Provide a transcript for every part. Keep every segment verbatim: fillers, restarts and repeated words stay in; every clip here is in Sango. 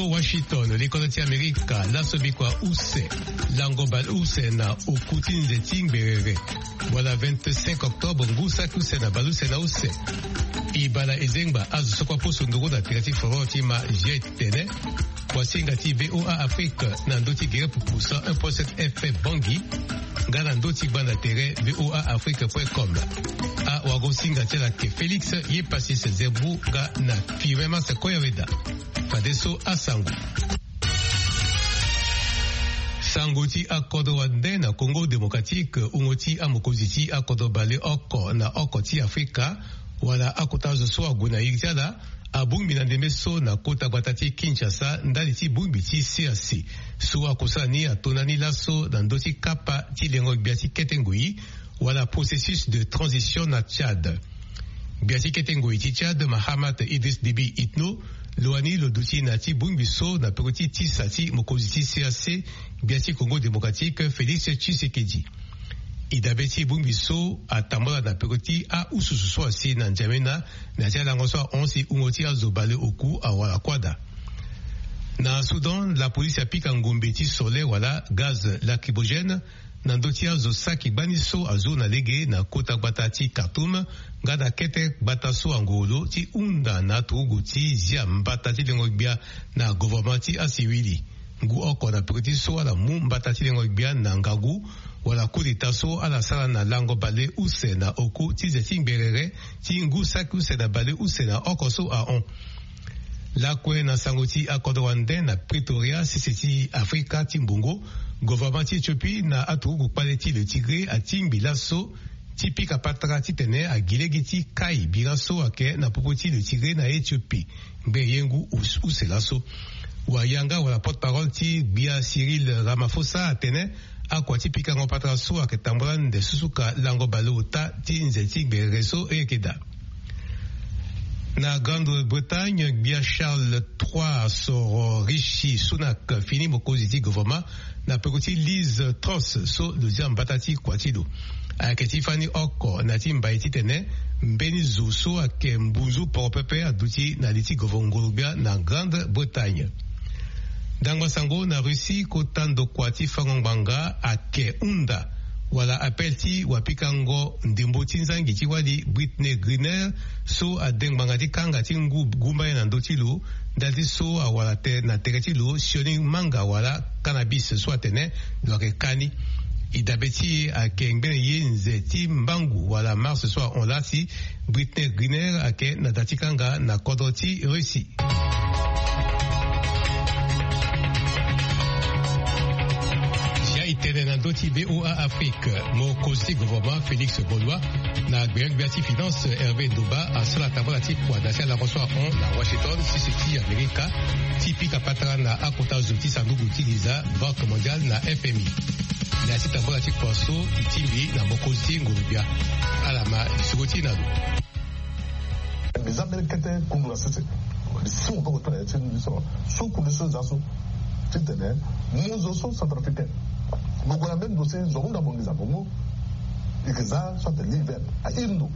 Washington, likolo ti Amerika, laso bikua use, lango baleuse na oku ti nze ti ngberere, wala vingt-cinq octobre, ngu saki use na baleuse na use. Ibala ezengba azo so kue aposo nduru na tere ti forum ti ma G I tene. Wasinga ti V O A Afrique na ndö ti gere pupu cent un point sept F M Bangui, nga na ndö ti gbanda tere V O A Afrique point com. Awagosinga ti ala ke Félix Yepassis Zembu nga na Firmin Mars Koyaweda. Fadeso asango. Sango ti akodro wande na Congo Démocratique, wungo ti amokonzi ti akodro baleoko na oko ti Afrika, wala akota zo so ague na iri ti ala, abongbi na ndembe so na kota gbata ti Kinshasa ndali ti bongbi ti C A C so akusala ni ato na ni laso na ndö ti kapa ti lengo gbia ti kete ngoi, wala processus de transition na Tchad. Gbia ti kete ngoi ti Tchad, Mahamat Idriss Déby Itno, lo wani lo duti na ya ti bongbi so na peko ti tisa ti mokonzi ti C A C, gbia ti Congo Démocratique, Félix Tshisekedi. E dabe ti bongbi so atambula na peko ti aususu so asi na N'Djamena, na ya ti alango so ahon si wungo ti azo baleoku awara kuâ daa. Na Soudan, lapolisi apika ngombe ti sole wala gaz lacrymogène na ndö ti azo saki gbani so azo na lege na kota gbata ti Khartoum, nga na kete gbata so angoro lo ti hunda na aturugu ti zia mbata ti lengo gbia na gouvernement ti asiwili. Ngu oko na peko ti so ala mu mbata ti lengo gbia na ngangu, wala coup d'État so ala sara na lango baleuse na oku ti nze ti ngberere ti ngu saki use na baleuse na oko so ahon. Lakue na sango ti akodro wande na Pretoria, sese ti Afrika ti mbongo, gouvernement ti Éthiopie na aturugu kpale ti le Tigré atingbi laso ti pika patara titene agi lege ti kai bira so ayeke na popo ti le Tigré na Éthiopie. Ngbe ye ngu us-, use laso. Wayanga wala porte-parole ti gbia Cyril Ramaphosa atene akua ti pikango patara so ayeke tambula nde susuka lango baleota ti nze ti gberere so e yeke daa. Na Grande-Bretagne, gbia Charles trois asoro Rishi Sunak fini mokonzi ti gouvernement na peko ti Liz Truss so lo zia mbata ti kua ti lo. Ayeke ti fani oko na ya ti mbai titene mbeni zo so ayeke mbunzu poro pepe aduti na li ti gouvernement nguru-gbia na Grande-Bretagne. Ndangba sango na Russie, kota ndokua ti fango ngbanga ake hunda wala appel ti wapikango ndembo ti nzangi ti wali Brittney Griner so ade ngbanga ti kanga ti ngu gumba ye na ndö ti lo, ndali ti so awara te na tere ti lo sioni manga wala cannabis so atene lo yeke ka ni. E dabe ti e ayeke ngbene ye nze ti mbangu wala mars so ahon laa si Brittney Griner ayeke na da ti kanga na kodro ti Russie. Zia e tene na ndö ti V O A Afrique, mokonzi ti gouvernement Félix Bolois na gbengbe gbia ti finance Hervé Ndoba asara tambala ti kua na ya ti alango so ahon na Washington, sese ti Amerika, ti pika patara na akota zo ti sanduku ti nginza Banque Mondiale na F M I. Na ya ti tambala ti kua so e tingbi na mokonzi ti nguru-gbia. Ala ma lisoro ti e na lo. Mbi za mbeni kete kundu na sese. Mbi si maboko ti na ya ti mbi so. So kundu so e za so titene mu zo so centrafricain. Mo gue na mbeni ndo si zo ahunda mo nginza mo mu. E yeke za so atene ligne verte. Ahiri ndo.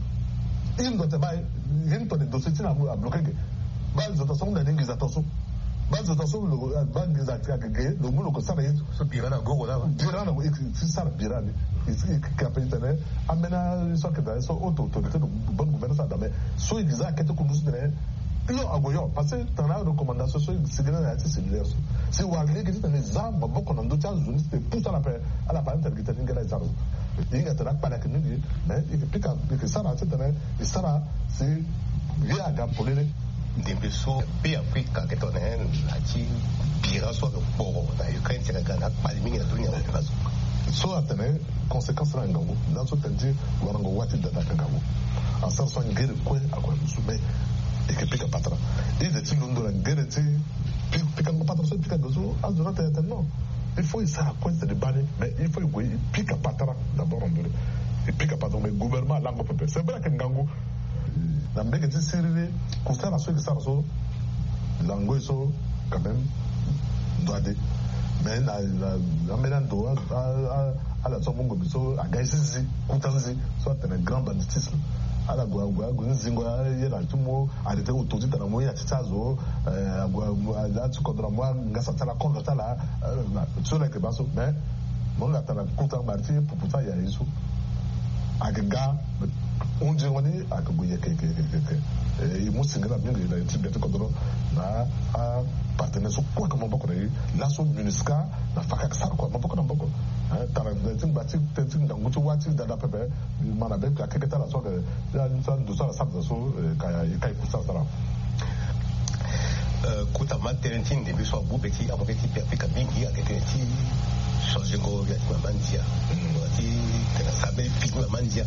Hiri ndo atene baa ye ni tongana ndo so ti na abloke ge. Baa zo ta so ahunda ni nginza ta so. Baa zo ta so lo, baa nginza ayeke ge, lo mu lo ke sara ye so. So bira na gogo laa. Bira na, e yeke ti sara bira ni. E yeke ape titene ambeni so ayeke daa so haute autorité de bonne gouvernance ada, mais so e yeke za akete kundu so titene hio ague hio, parce que tongana recommandation so e sigi na ya ti séminaire so, si e wara lege titene e za maboko na ndö ti azo ni titene e pusu ala ape, ala ape ala tene gi tene ni nge laa e sara so. E hinga tene akpale ayeke mingi, mais e yeke pika, e yeke sara titene e sara si ye aga polele. Ndembe so Beafrika ayeke tongana na ya ti bira so ayeke kporo na Ukraine ti yeke ga na akpale mingi na ndö ni na opération. So atene conséquence na ngangu, laso tene ti warango wâ ti dada ayeke ngangu. Asara so angere kue ague na dusu, mais e yeke pika patara. E ze ti londo na ngere ti pi-, pikango patara so e pika ge so, azo ni atene atene non. Il faut e sara kue titene e baa ni, mais il faut e gue e pika patara d'abord en premier. E pika patara, mais gouvernement alango pepe. C'est vrai ayeke ngangu. Na mbege ti siriri, kusala so e yeke sara so, lango e so, quand même, ndo ade. Mais na, na, na ambeni ando, a, a, a, ala so amu ngombe so, aga ye zizi, kuta nzi, so atene grand banditisme. Ala gue ague ague ni zingo aye na ti mo arrêté auto ti tana mo ye na ti ti azo. Ague ague ala ti kodro na mo angasa ti ala kondro ti ala. So na yeke baa so mais mo nga tana kota mari ti pupu ti aya ye so. Ayeke ga hunzingo ni ayeke gue yeke yeke yeke yeke. E mu singila mingi na ti gbia ti kodro na apartenaire so kue ayeke maboko na ye. Laso MINUSCA na faka ayeke sara kua maboko na maboko. Tara ti ngba ti tënë ti ngangu ti wâ ti dada pepe. Mbi ma na be akeke ti ala so ayeke ya ni so ando so ala sara daa so. Ka e ka e kusa sara. Kota ma tënë ti ndembe so agu be ti amoke ti be afrika mingi ayeke tënë ti changengo ya ti mama ndia. Ti tena sara mbeni pigi mama ndia.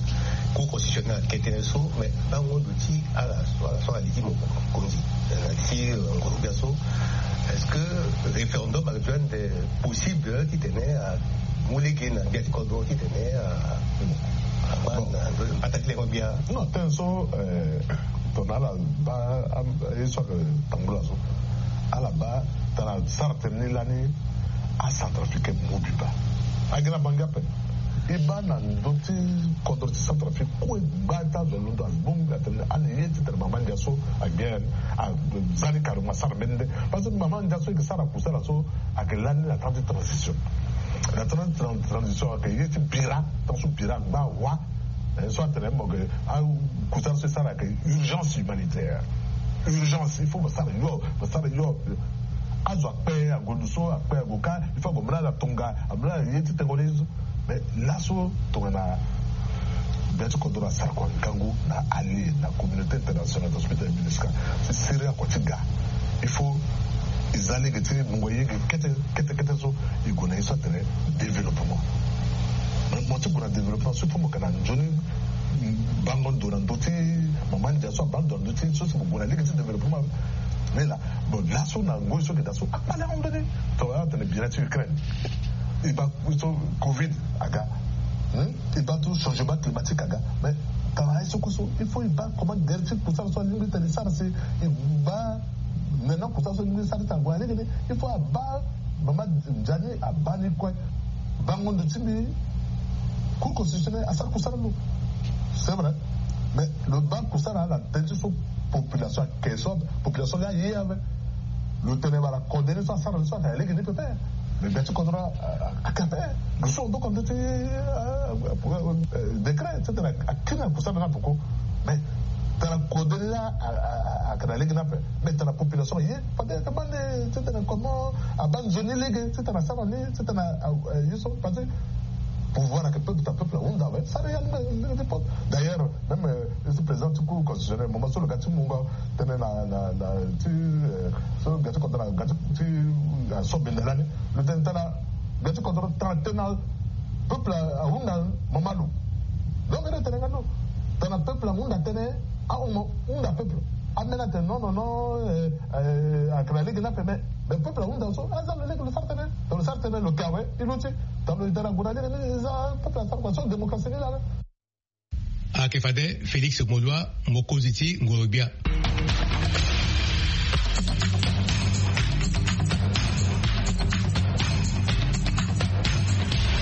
Cour constitutionnelle ayeke tënë so mais bango ndo ti ala so ala li ti mokonzi na li ti ngoro gbia so. Est-ce que référendum actuel nde possible titene amu lege na gbia ti kodro titene agbata ti leko gbia? Non, tënë so tongana ala baa ye so ayeke tambula so ala baa tana sara tënë ni lani. Acentrafricain mobimba agi na bangi ape. E baa na ndö ti kodro ti Centrafrique kue gba ti azo alondo abongbi atene ani ye titene mama ndia so agbia ni aza ni carrément asara mbeni nde. Parce que mama ndia so eke sara kusala so ayeke lani na temps ti transition. Na temps ti transition ayeke ye ti bira tant so bira agba awa. So atene mo yeke akusala so e sara ayeke urgence humanitaire. Urgence il faut mo sara yo mo sara yo. Azo akpe ague ndo so akpe ague kâ il faut ague mu na ala tonga amu na ala ye ti tengo ni. Mais laso tongana gbia ti kodro asara kua ngangu na allié na communauté internationale na hospital MINUSCA si siri akua ti ga. Il faut e za lege ti mungo ye ge kete kete kete so e gue na ye so atene développement. Mais mo ti gue na développement so il faut mo yeke na nzoni bango ndo na ndö ti mama ndia so abaa ndo na ndö ti ye so si mo gue na lege ti développement. Ni laa bon laso na ngoi so yeke daa so akpale ahon mbeni. Tongana atene bira ti Ukraine e baa so covid aga. E baa tout changement climatique aga. Mais tara ye so kue so il faut e baa comment guerre ti kusala so alingbi tene e sara si e baa Maintenant kusala so mbi sara ti ague na lege ni il faut abaa mama ndia ni abaa ni kue. Bango ndo ti mbi. Cour constitutionnelle asara kusala lo. C'est vrai. Mais lo baa kusala na tënë ti so population ayeke so population ni aye ave. Lo tene wala kode ni so asara ni so ayeke na lege ni pepe. Mais gbia ti kodro ayeke ape. Lo so aboko ndo ti décret ti tene akiri na kusala ni apoko. Mais tara kode ni la ayeke na lege ni ape. Mais tara population ye fade ayeke baa nde ti tene comment abaa nzoni lege ti tene asara ni ti tene ye so parce que pouvoir ayeke peuple ta peuple ahunda awe sara ya lege ti peuple. D'ailleurs même isi président ti cour constitutionnelle moment so lo ga ti mungo tënë na na na ti so ga ti kodro na ga ti so benda lani. Lo tene tara ga ti kodro tara tënë na peuple ahunda mama lo. Donc ere tene nga no tana peuple ahunda tënë. Ahunda peuple ambeni atene non non non. Ayeke na lege ni ape mais mais peuple ahunda so aza lo lege lo sara tënë. Tana lo sara tënë lo ke awe e luti. Tana lo e tene ague na lege ni e za peuple asara kua so démocratie ni laa. Ayeke fade Félix Molua, mokonzi ti ngoro-gbia.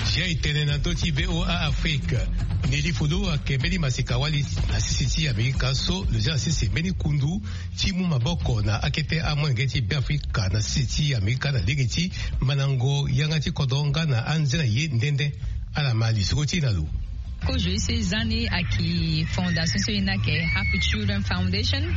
Sia e tene na ndö ti V O A Afrique. Neli Fulu ayeke mbeni masika-wali na sese ti Amerika so lo zia na sese mbeni kundu ti mu maboko na akete amolenge ti Beafrika na sese ti Amerika na lege ti mandango yanga ti kodro nga na anze na ye nde nde. Ala ma lisoro ti e na lo. Kozo ye so e za ni ayeke fondation so e na yeke Happy Children Foundation.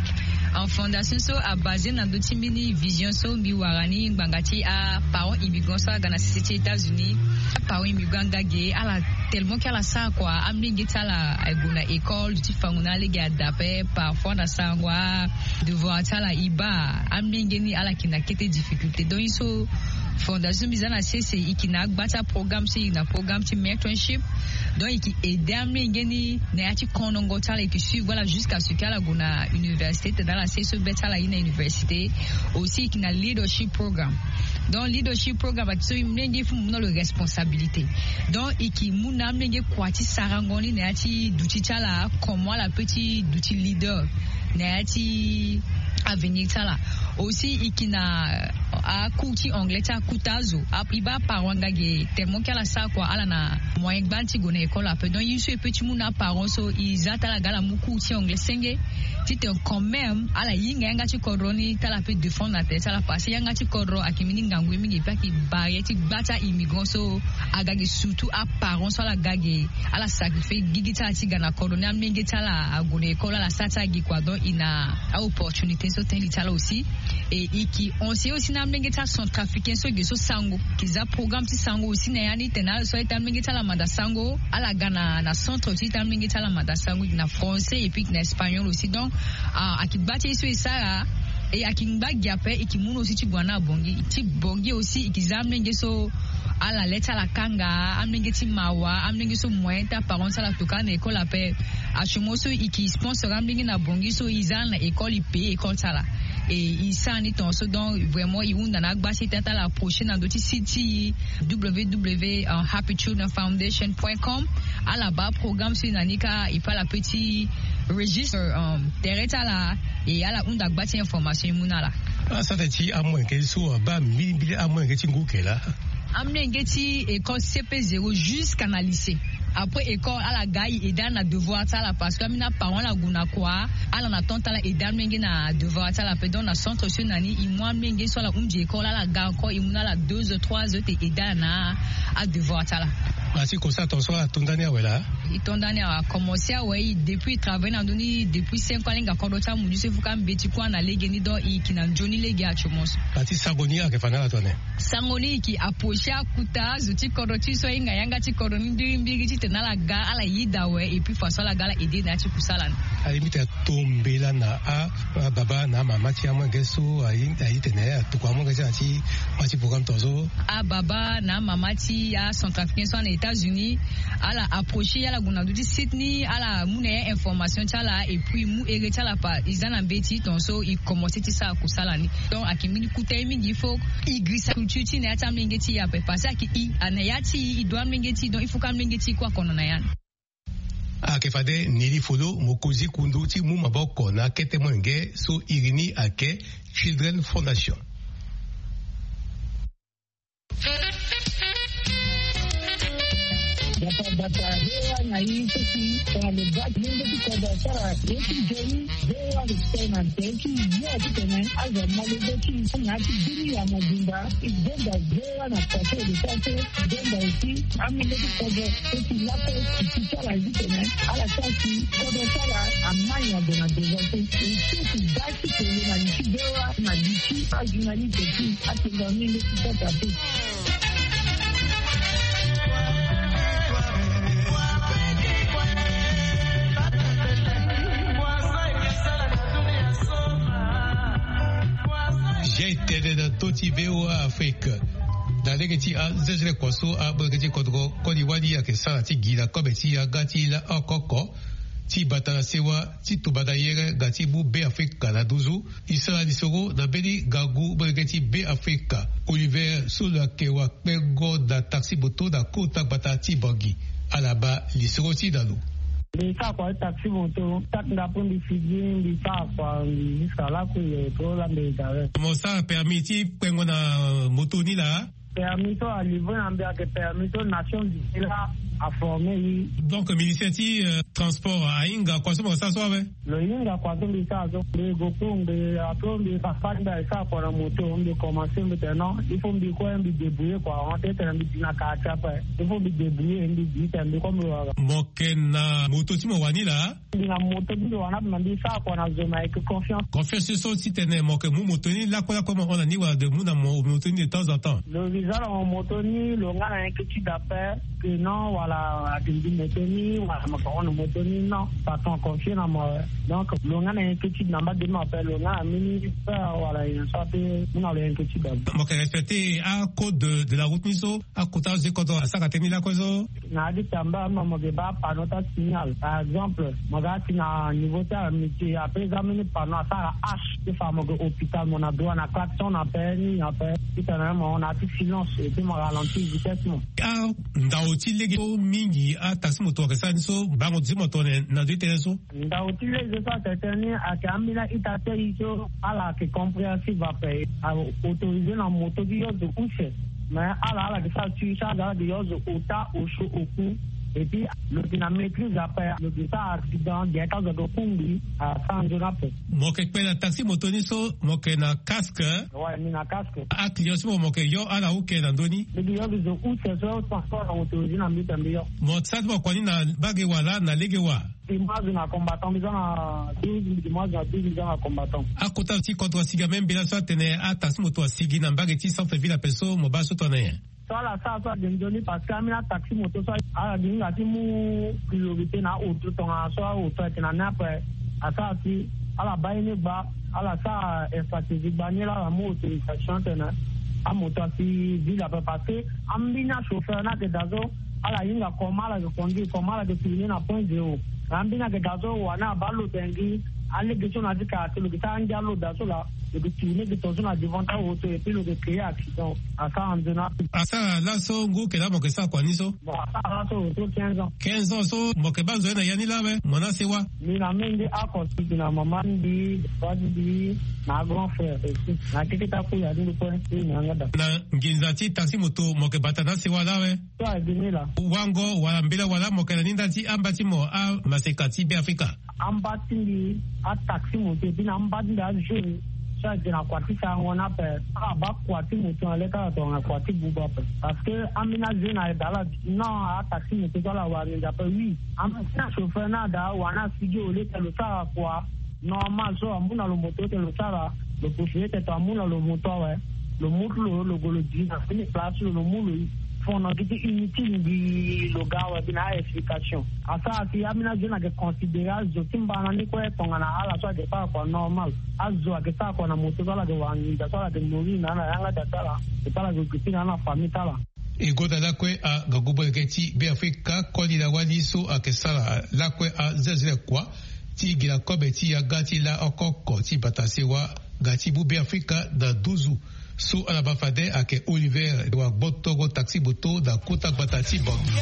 Fondation so abase na ndö ti mbeni vision so mbi wara ni ngbanga ti aparent immigrant so aga na sese ti États-Unis. Aparent immigrant nga ge ala tellement ke ala sara kua amolenge ti ala ague na école ti fango na alege ada ape parfois na sarango adevoir ti ala e baa amolenge ni ala yeke na kete difficulté donc ye so fondation so mbi za na sese e yeke na agba ti aprogramme so e yeke na programme ti mentorship. Donc e yeke aide amolenge ni na ya ti konongo ti ala e yeke suivre ala jusqu'à ce que ala gue na université tena ala sese so be ti ala aye na université. Aussi e yeke na leadership programme. Donc leadership programme ayeke so molenge il faut mo mu na lo responsabilité. Donc e yeke mu na amolenge kua ti sarango ni na ya ti duti ti ala comment ala peut ti duti leader na ya ti Avenir ti ala aussi, e ki na acours ti anglais ti akuta azo. E baa aparent aga ge tellement ke ala sara kua, ala na moyen gbani ti gue na école ape. Donc ye so e pe ti mu na aparent so e za ti ala ga ala mu cours ti anglais senge, titene quand même ala hinga yanga ti kodro ni ti ala pe défendre na tere ti ala, parce que yanga ti kodro ayeke mbeni ngangu ye mingi, e pe ayeke barrière ti gba ti a-immigrant so aga ge, surtout aparent so ala ga ge, ala sacrifier gigi ti ala ti ga na kodro ni, amenge ti ala ague na école, ala sara ti ala gi kua. Donc e na a-opportunité so tënë li ti ala aussi. Et e ki enseigner aussi na amenge ti acentrafricain so ge so sango, e ki za programme ti sango aussi na ya ni, tene ala so a-ita amenge ti ala manda sango, ala ga na na centre ti ita amenge ti ala manda sango, e ki na français et puis e ki na espagnol aussi. Donc a, ayeke gba ti ye so e sara. Et ayeke ngba gi ape, e ki mu na aussi ti gue na abongi ti bongi aussi, e ki za amenge so ala le ti ala kanga, amenge ti mawa, amenge so moyen ti aparent ti ala tokua na école ape. Actuellement so e ki sponsor amenge na bongi so e za na école, e paye école ti ala. Et e sara ni tongaso. Donc vraiment e hunda na agba ti e ti ala approcher na ndö ti site ti e, www happy children foundation point com. Ala baa programme so e na ni kâ, e pe ala pe ti registre tere ti ala. Et ala hunda gba ti information e mu na ala. Asara tene ti amolenge so abaa mbilimbili amolenge ti ngu ke laa. Amolenge ti école C P zéro jusqu'à na lycée. Après école ala ga e aide ala na devoir ti ala, parce que ambeni aparent ala gue na kua, ala na temps ti ala aide amolenge na devoir ti ala ape. Donc na centre so e na ni, e mu amolenge so ala hundi école, ala ga encore e mu na ala deux heures, trois heures ti aide ala na adevoir ti ala. Asi kosa tongaso ala to ndani awe laa. E to ndani awe, akomencer awe. E depuis e travailler na ndö ni depuis cinq ans, alinga kodro ti amundu so e fuka mbeti kua na legeni. Donc e ki na nzoni lege actuellement so. Ati sango ni ayeke fa na ala tone? Sango ni e ki approcher akuta azo ti kodro ti so ahinga yanga ti kodro ni mbirimbiri titene ala ga ala yeda awe, et puis façon ala ga ala aide na ya ti kusala ni. Aye mbi tene to mbela na a, ababa na amama ti amolenge so aye, aye tene atokua amolenge ti ala ti ma ti programme tongaso. Ababa na amama ti acentrafricain so ana États-Unis, ala approcher ala gue na ndö ti site ni, ala mu na ya information ti ala, et puis e mu ere ti ala pa e za na mbeti tongaso e commencer ti sara kusala ni. Donc ayeke mbeni kota ye mingi, il faut e girisa culture ti na ya ti amolenge ti e ape, parce que ayeke e ana ya ti e, e doit amolenge ti e, donc il faut que amolenge ti e kue akono na ya ni. Ayeke fade Nelly Folo, mokonzi kundu ti mu maboko na akete molenge so iri ni ayeke Children Foundation. Bata bata, he wa na yi seki, tongana lo baa ti lenge ti kodro asara ye ti nzoni. Ve wa lo tene na nze ti yo ti tene azo amolenge ti na ya ti bini ya mobimba. E benda ve wa na tate lo ti ase, e benda aussi amolenge ti kodro so ti lakue ti ti ti ala ti tene ala sara ti kodro ti ala amai ague na devant so. E so ti baa ti tene na li ti ve wa na li ti ajournaliste ti atene amolenge ti kota pe. Zia e tene na ndö ti V O A Afrique. Na lege ti azezele kua so amolenge ti kodro koli wali ayeke sara ti gi na kobe ti yanga ti la oko oko ti bata na sewa ti tumba na yere nga ti mu Be Afrika na nduzu. E sara lisoro na mbeni ngangu molenge ti Be Afrika, Oliver, so lo yeke wakpengo na taxi moto na kota gbata ti Bangui. Ala baa lisoro ti na lo. Mbi sara kua ti taxi moto, tâ ti ndaku mbi figi, mbi sara kua, mbi jusqu'à lakue, e to la mbi gare. Mo sara permis ti kpengo na moto ni laa? Permis so alivre na mbi ayeke permis so Nations Unies la aforme e. Donc ministère ti, euh, transport ahinga kua so mo sara so awe? Lo hinga kua so mbi sara so. Mbi gue cours, mbi après mbi papa mbi asara kua na moto, mbi commencer mbi tene non, il faut mbi kue mbi débrouiller kua, on tene mbi di na quartier ape. Il faut mbi débrouiller, mbi di tene mbi kue mbi wara. Mo yeke na moto ti mo wani laa? Mbi na moto ti mbi wani ape, me mbi sara kua na zo me ayeke confiance. Confiance so ti tene mo yeke mu moto ni lakue lakue, mo hon na ni wala de mu na mo moto ni de temps en temps? Lo mbi za na mo moto ni, lo nga na inquiétude ape que non wala ake mbi moto ni wala mo yeke hon na moto ni, non. Patron aconfie na mo awe. Donc lo nga na inquiétude na mba de mo ape, lo nga na mbeni peur wala nyen so ape mu na lo inquiétude ape. Mo yeke respecter acode de, de la route ni so akota azo ti kodro asara tënë ni lakue so? Na ya ti tamba mo yeke baa panneau ti asignal. Par exemple, mo ga ti na niveau ti amitié ape, za mbeni panneau asara H ti fa mo yeke hôpital, mo na droit na klaxon na ape, ni na ape. Titene mo na ya ti silence et puis mo ralentir vitesse mo. Andao ti lege so Mingi ataxi moto ayeke sara ni so bango ti mo tongana na ndo ti tënë so. Ndau ti lege so atene ni ayeke ambeni a-ita ti aye so ala yeke compréhensive ape. Autorisé na moto ti yo zo use. Mais ala ala yeke sara ti charge ala yeke yo zo ota osio oku. Et puis lo yeke na maîtrise ape lo yeke sara accident gere ti azo ayeke kungbi. Asara nzoni ape. Mo yeke kpe na taxi moto ni so mo yeke na casque. Ouais, mi na casque. Aclient so mo mo yeke yo ala uke na ndö ni. Mbi yeke yo mbi zo use so transport na moto zi na mbi ta mbi yo. Mo sara ti mo kua ni na mbage wa laa na lege wa? Dimanche na combattant mbi za na douze, dimanche na douze mbi za na combattant. Akota ti contre asigi ame mbela so atene ataxi moto asigi na mbage ti centre ville ape so mo baa so tongana nyen? So ala sara so ade nzoni parce que ambeni ataxi moto so ala gi hinga ti mu priorité na aoto tongana so aoto ayeke na ni ape. Asara si ala baa ye ni gba, ala sara stratégie gba ni laa ala mu autorisation atene amoto asi ville ape parce que ambeni achauffeur ni ayeke daa so ala hinga comment ala yeke conduire, comment ala yeke tourner na point zéro. Na ambeni ayeke daa so wa ni abaa lodengi alege so na ya ti kara ti lo yeke sara angia lo daa so laa lo yeke tourner gi tongaso na devant ti aoto et puis lo yeke créer accident. Asara nzoni ape. Asara laso ngu yeke laa mo yeke sara kua ni so? Bon, asara laso lo so quinze ans. Quinze ans so mo yeke baa nzoni na ya ni laa awe mo na sewa? Mbi na menge ako si mbi na mama ti mbi, papa ti mbi, na grand frère aussi. Na keke ti akui ya ti ndo kue ti mbi na yanga daa. Na nginza ti taxi moto mo yeke bata na asewa laa awe? So ayeke ni laa. Wango wala mbela wala mo yeke na ni nda ti amba ti mo amaseka ti Beafrika? Amba ti mbi ataxi moto et puis na amba ti mbi ajeune so ayeke na kua ti sarango ni ape. Ala baa kua ti moto na le ti ala tongana kua ti buba ape. Parce que ambeni ajeune ayeke daa ala non ataxi moto so ala wara nginza ape oui. Ambeni achauffeur ni ada wa ni asigi au lieu que lo sara kua normal so amu na lo moto ete lo sara, lo préféré tene amu na lo moto awe. Lo mu ti lo lo gue lo di na fini place lo lo mu lo fono gi ti inutile mbi lo ga awe mbi na a-explication. Asara si ambeni azo ni ayeke considéré azo ti mbana ni kue tongana ala so ayeke sara kua normal. Azo ayeke sara kua na moto so ala yeke wara nginza so ala yeke mori na ala yanga daa ti ala. Ala yeke gue ti na ala na famille ti ala. E gonda lakue angangu molenge ti Beafrika koli na wali so ayeke sara lakue azelezele kua ti gi na kobe ti yanga ti laa oko oko ti bata sewa nga ti mu Beafrika na nduzu. So ala ma fade ayeke Oliver wa gbotongo taxi moto na kota gbata ti Bangui.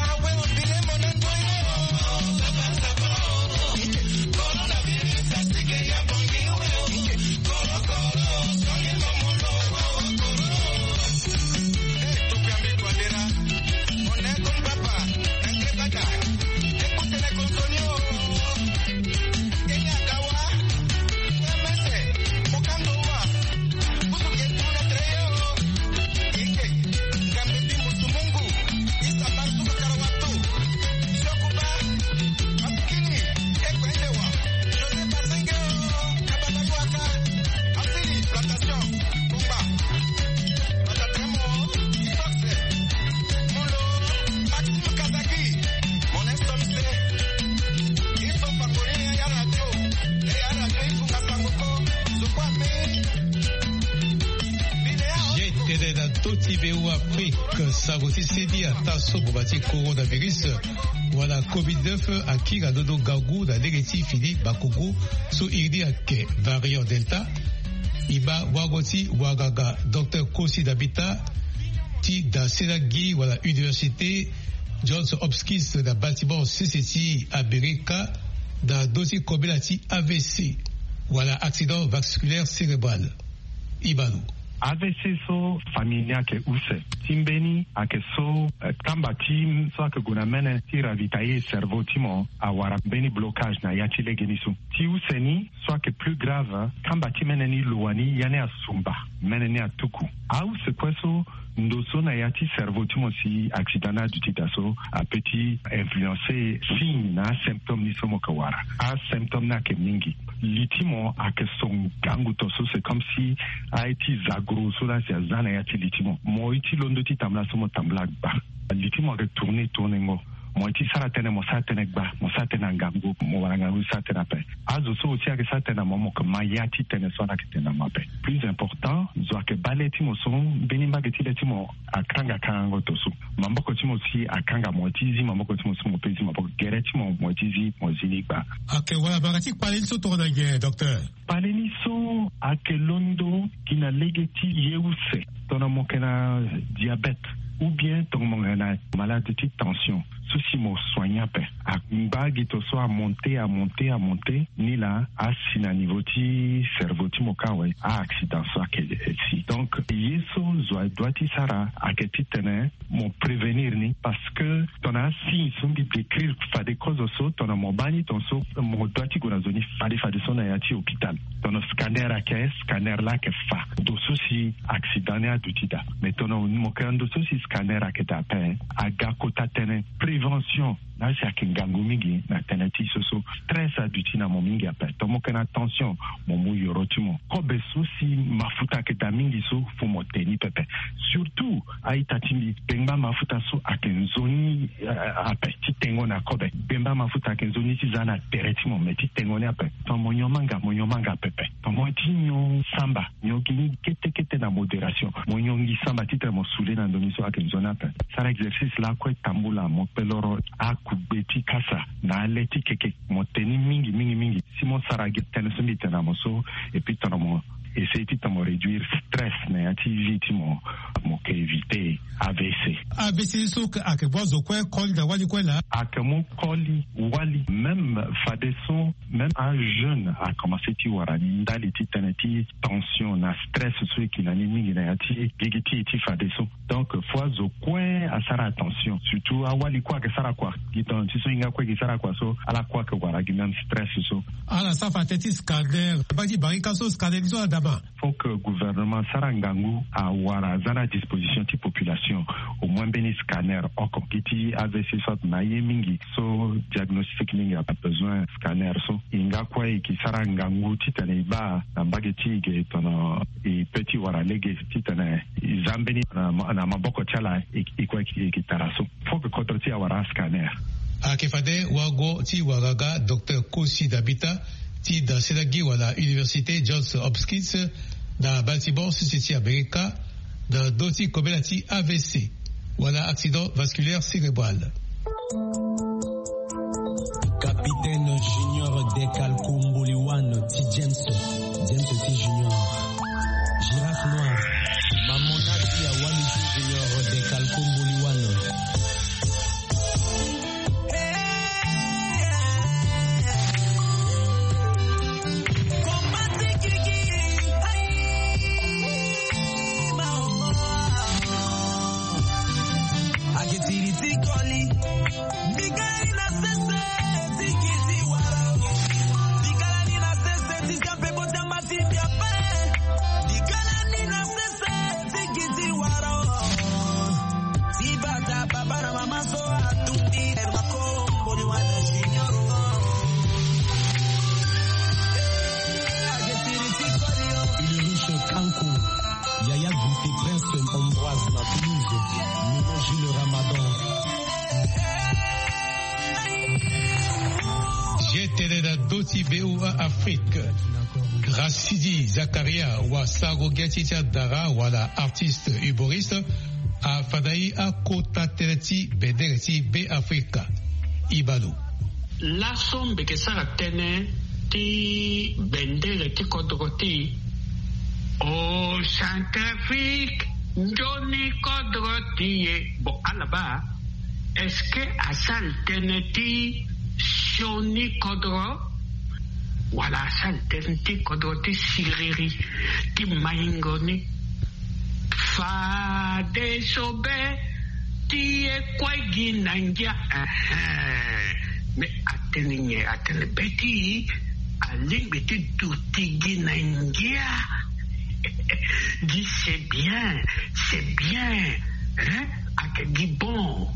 Ye tene na ndö ti V O A Afrique, sango ti seni ataa so boma ti coronavirus wala covid neuf akiri na ndondo ngangu na lege ti fini bakongo so iri ni ayeke variant Delta. E baa wango ti wanganga docteur Kosi Dabita ti da senagi wala université Johns Hopkins na bâtiment sese ti Amerika na ndö ti kobela ti A V C wala accident vasculaire cérébral. Ibalo. A V C so famille ni ayeke use. Ti mbeni ayeke so, eh, kamba ti so ayeke gue na mene ti ravitailler cerveau ti mo awara mbeni blocage na ya ti legeni so. Ti use ni so ayeke plus grave, kamba ti mene ni lo wani ya ni asumba, mene ni atuku. Ause kue so ndo so na ya ti cerveau ti mo si accident ni aduti daa so ape ti influencer signe na asymptôme ni so mo yeke wara. Asymptôme ni ayeke mingi. Li ti mo ayeke so ngangu to so c'est comme si aye ti zagro so laa si aza na ya ti li ti mo. Mo ye ti londo ti tambula so mo tambula gba. Li ti mo ayeke tourner tourningo. Mo ye ti sara tënë mo sara tënë gba, mo sara tënë na ngangu, mo wara ngangu ti sara tënë ape. Azo so aussi ayeke sara tënë na mo, mo yeke ma ya ti tënë so ala yeke tene na mo ape. Plus important, zo ayeke baa le ti mo so mbeni mbage ti le ti mo akanga kangango to so. Maboko ti mo si akanga mo ye ti zi maboko ti mo so mo pe zi maboko, gere ti mo mo ye ti zi mo zi ni gba. Ayeke wala banga ti kpale ni so tongana nyen, docteur? Kpale ni so ayeke londo gi na lege ti ye use, tongana mo yeke na diabète ou bien tongana mo yeke na malade ti tension. So si mo soigne ape, angba gi to so amonte amonte amonte ni laa asi na niveau ti cerveau ti mo ka awe. A-accident so ayeke si. Donc ye so zo adoit ti sara ayeke titene mo prévenir ni, parce que tongana asigne so mbi décrire fade kozo so, tongana mo baa ni ton so, mo doit ti gue na zo ni fade fade so na ya ti hôpital. Tongana scanner ayeke, scanner laa ayeke fa ndo so si accident ni aduti daa. Mais tongana mo yeke na ndo so si scanner ayeke daa ape, aga kota tënë prévention. Laa si ayeke ngangu mingi na tënë ti so so stress aduti na mo mingi ape. Tongana mo yeke na tension, mo mu yoro ti mo. Kobe so si mafuta ayeke daa mingi so, fo mo te ni pepe. Surtout a-ita ti mbi, bengba mafuta so ayeke nzoni ape ti tengo na kobe. Bengba mafuta ayeke nzoni ti za na tere ti mo, me ti tengo ni ape. Tongana mo nyon manga, mo nyon manga pepe. Tongana mo ye ti nyon samba, nyon gi ni kete kete na modération. Mo nyon gi samba titene mo sule na ndo ni so ayeke nzoni ape. Sara exercice lakue tambula, mo kpe loro akugbe ti kasa na ale ti keke. Mo te ni mingi mingi mingi. Si mo sara gi tënë so mbi tene na mo so, et puis tongana mo essayer titene mo réduire stress na ya ti vie ti mo, mo yeke éviter A V C. A V C so ayeke baa zo kue koli na wali kue laa? Ayeke mu koli wali, même fadeso même ajeune akomanse ti wara ni ndali ti tënë ti tension na stress so e yeke na ni mingi na ya ti gigi ti e ti fadeso. Donc fo azo kue asara attention, surtout awali kue ayeke sara kua. Gi tongana ti so hinga kue e yeke sara kua so, ala kue ayeke wara gi même stress so. Ala sara fa tënë ti scanner, baa ti barika so scanner ni so ala dama. Faut que gouvernement asara ngangu awara aza na disposition ti population au moins mbeni scanner oko. Gi ti A V C so atene aye mingi so diagnostic mingi abesoin scanner so. E nga kue e yeke sara ngangu titene e baa na mbage ti e ge tongana e pe ti wara lege titene e za mbeni na ma- na maboko ti ala e e kue e yeke tara so. Faut que kodro ti e awara ascanner. Ayeke fade wago ti wara ga Docteur Kosi Dabita ti dasela gi wala Université Johns Hopkins na Baltimore, sese ti Amerika, na ndö ti kobela ti A V C wala accident vasculaire cérébral. Capitaine Junior Dekalko Mboliwan ti James, James ti Junior. Girafe noir. Mamona ti Awali ti Junior Dekalko Mboliwan. Ulrich Kanko, Yaya Guité, Prince Ambroise na Toulouse, Mimo Jules Ramadan. Ye tene na ndö ti V O A Afrique. Gracidi Zakaria, wasago-gia ti ti adara wala artiste humoriste, afandai akota tënë ti bendere ti Be Afrika. Ibalo. Laso mbi yeke sara tënë ti bendere ti kodro ti e. O Centrafrique, nzoni kodro ti e. Bon, ala baa, est-ce que asara tënë ti sioni kodro, wala asara tënë ti kodro ti siriri, ti maingo ni? Fadeso be ti e kue gi na ngia. Ehe. Mais atene nyen? Atene be ti e alingbi ti duti gi na ngia. Gi c'est bien, c'est bien. Hein? Ayeke gi bon.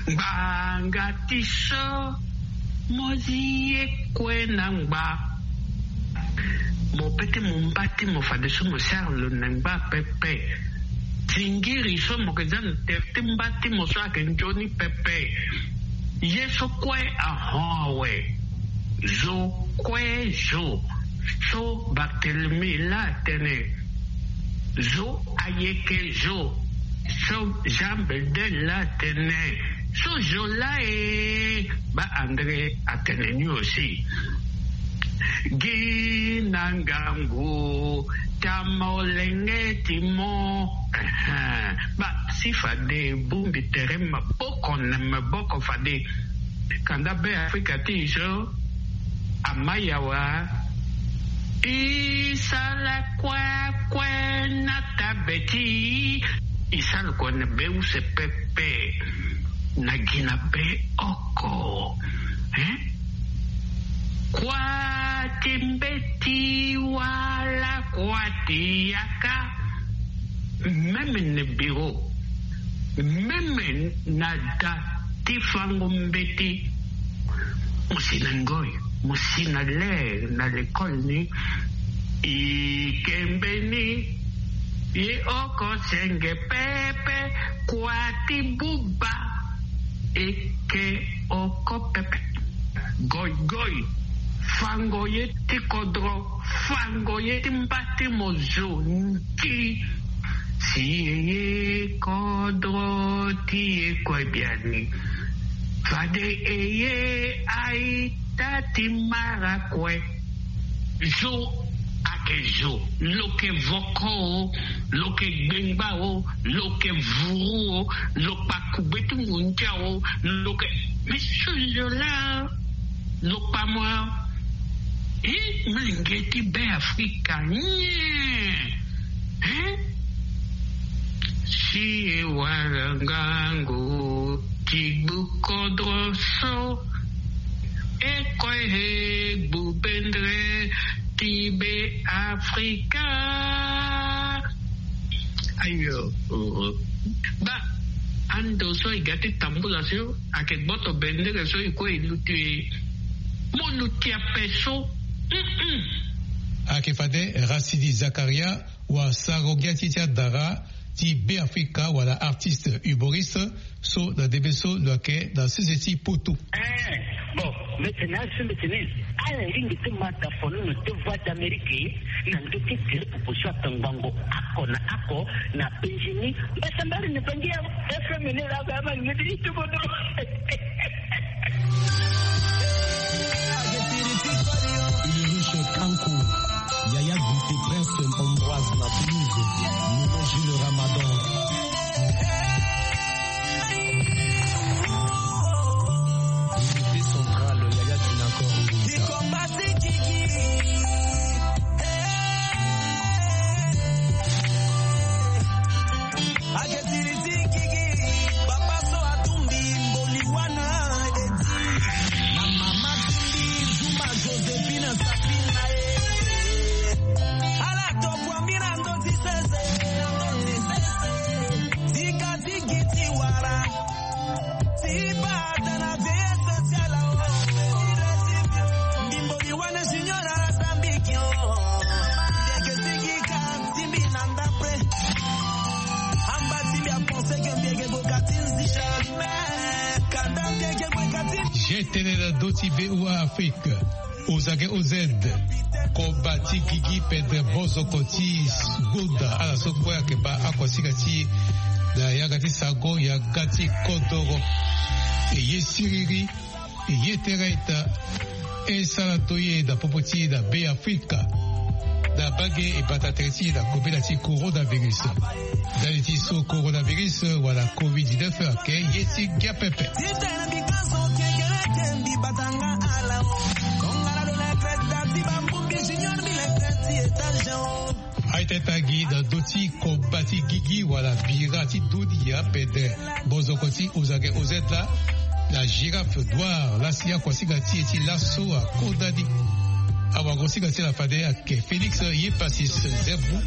Ngbanga ti so mo zi ye kue na ngba. Mo pe ti mo mba ti mo fadeso mo sara lo na ngba pepe. Zingiri so mo yeke za na tere ti mba ti mo so ayeke nzoni pepe. Ye so kue ahon awe. Zo kue zo. So Barthélemy laa atene. Zo ayeke zo. So Jean Bedel laa atene. So zo laa e. Baa André atene ni aussi. Gi na ngangu ti amolenge ti mo. Ehe. Baa Si fade e bongbi tere maboko na maboko fade. Kanda Be Afrika ti e so ama yawa. E sara kue kue na tabe ti e. E sara kue na be use pepe. Na gi na be oko. Hein? Kua ti mbeti wala kua ti yaka. Même na bureau, même na da ti fango mbeti. Mo si na ngoi, mo si na ler na lekole ni. E ke mbeni. E oko senge pepe. Kua ti buba. E ke oko pepe. Goigoi. Fango ye ti kodro. Fango ye ti mba ti mo zo nki. Si e ye kodro ti e kue biani. Fade e ye aita ti mara kue. Zo ayeke zo. Lo yeke voko o, lo yeke gbengba o, lo yeke vuru o, lo kpa kugbe ti ngondia o, lo yeke. Mais ce jeu là, lo kpa mo. E, molenge ti Be Afrika nyen? Hein? Si e wara ngangu ti gbu kodro so, e kue e gbu bendre ti Be Afrika. Ayo, oh, oh. Ba, ando so e ga ti tambula so, ayeke gboto bendere so e kue e luti e. Mo luti ape so. Mm-mm. Ayeke fade Racine Zakaria, wa sarango ngia ti e ti adara ti Be Afrika wala artiste humoriste so na ndembe so lo yeke na sese ti Poto. Eh, bon, mbeti na asu mbeti ni. Ala lingbi ti ma dafono na deux voix d'Amérique na ndö ti tere popo so atongbango oko na oko na penzi ni. Mbasambari ni bangi ya F M ni la ba ma ngeti ti bodo. Ulrich Kanko, Yaya Guité, Prince Ambroise na Toulouse, Nono Gilles Ramadan. Unité centrale, Yaya Dinacor. Ake siri ti gigi, papa so atumbi mboli wana edi. Na mama tumbi Zuma Josephine Safina e. Ala tokua mbi na ndö ti sese, na ndö ti sese. Tika ti gi ti wara. Ti bata na vieillesse ti ala o. Mbi mboli wana junior ala sambiki o. Ndeke sigi ka. Ti mbi na ndapre. Amba ti mbi apense ke mbi yeke boka ti nzi jamais. Kanda mbi yeke boka ti. G T N na ndö ti V O A Afrique. Ozage O Z. Koba ti gigi pendre bozoko ti goda ala so kue ayeke baa akuasinga ti e na yanga ti sango yanga ti kodoro. E ye siriri. E ye tere ita. E sara toye na popo ti e na Be Afrika. Na bage e bata tere ti e na kobela ti coronavirus. Ndali ti so coronavirus wala covid dix-neuf ayeke ye ti ngia pepe. Aita tangi na ndö ti koba ti gigi wala bira ti dunia pede bozoko ti Ozage O Z la, la girafe noire lasi akuasinga ti e ti laso akodani. Awagosinga ti la fade ayeke Félix Yepasis Zerbu.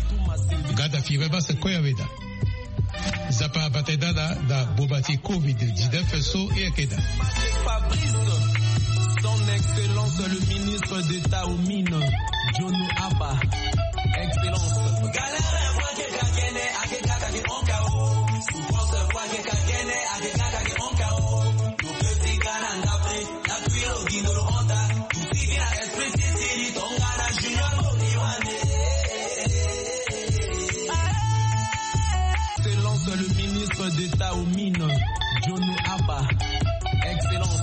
Gada firme base koya weda. Nzapa abata e dada na boma ti covid dix-neuf so e yeke daa. Fabrice, son excellence le ministre d'État aux mines, Jono Aba, excellence. Excellence, le ministre d'État aux mines, Jono Aba. Excellence.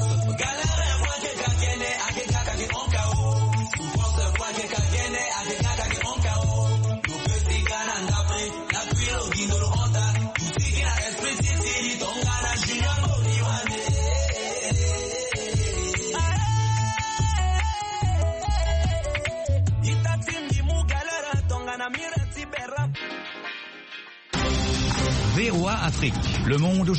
Afrique, le monde